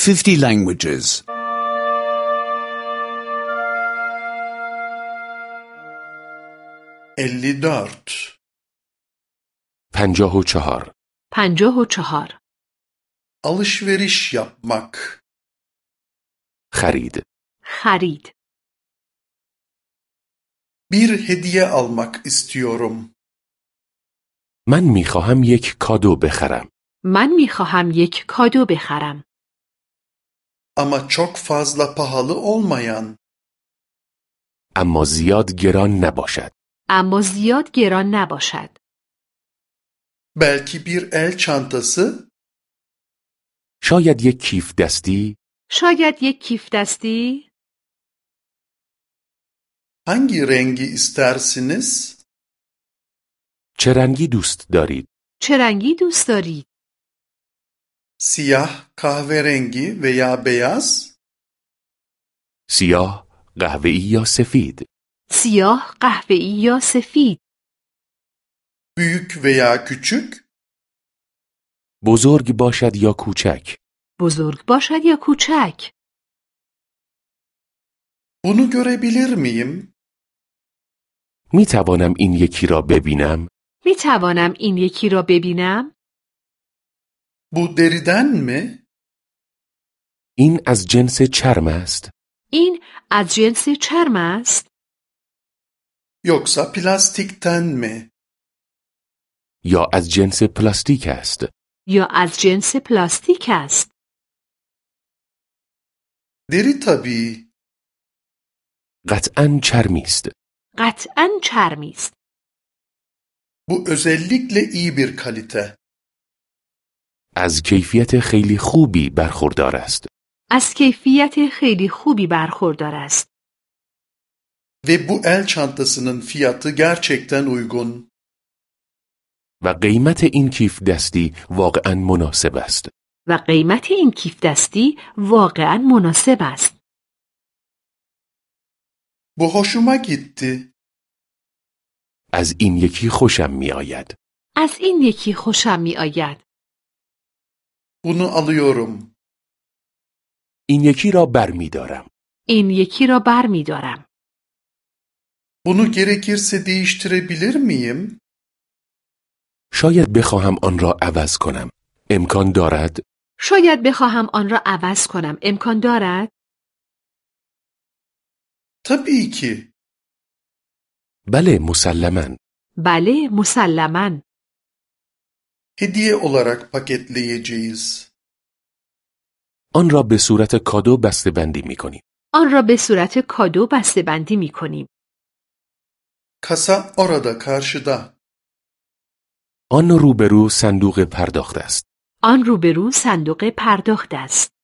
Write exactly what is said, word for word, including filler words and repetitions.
fifty languages. elli dört پنجاه و چهار. پنجاه و چهار. alışveriş yapmak خرید. خرید. bir hediye almak istiyorum. من میخواهم یک کادو بخرم. من میخواهم یک کادو بخرم. Ama çok fazla pahalı olmayan. اما زیاد گران نباشد. اما زیاد گران نباشد. Belki bir el çantası. شاید یک کیف دستی. شاید یک کیف دستی. Hangi rengi istersiniz? چه رنگی دوست دارید؟ چه رنگی دوست دارید؟ Siyah, kahverengi veya beyaz? سیاه، قهوه‌ای یا سفید؟ سیاه، قهوه‌ای یا سفید؟ Büyük veya küçük? بزرگ باشد یا کوچک؟ بزرگ باشد یا کوچک؟ Bunu görebilir miyim? می توانم این یکی را ببینم؟ می توانم این یکی را ببینم؟ Bu deriden mi? این از جنس چرم است؟ این از جنس چرم است؟ Yoksa plastikten mi? یا از جنس پلاستیک است؟ یا از جنس پلاستیک است؟ Deri tabii. قطعاً چرمی است. قطعاً چرمی است. Bu özellikle iyi bir kalite. از کیفیت خیلی خوبی برخوردار است. از کیفیت خیلی خوبی برخوردار است. Ve bu el çantasının fiyatı gerçekten uygun. و قیمت این کیف دستی واقعاً مناسب است. و قیمت این کیف دستی واقعاً مناسب است. Bu hoşuma gitti. از این یکی خوشم می آید. از این یکی خوشم می آید. Bunu alıyorum. این یکی را بر می دارم. این یکی را بر می دارم. Bunu gerekirse değiştirebilir miyim? شاید بخواهم آن را عوض کنم. امکان دارد؟ شاید بخواهم آن را عوض کنم. امکان دارد؟ Tabii ki. بله، مسلماً. بله، مسلماً. Hediye olarak paketleyeceğiz. آن را به صورت کادو بسته‌بندی می‌کنیم. آن را به صورت کادو بسته‌بندی می‌کنیم. Kasa orada karşıda. آن روبرو صندوق پرداخت است. آن روبرو صندوق پرداخت است.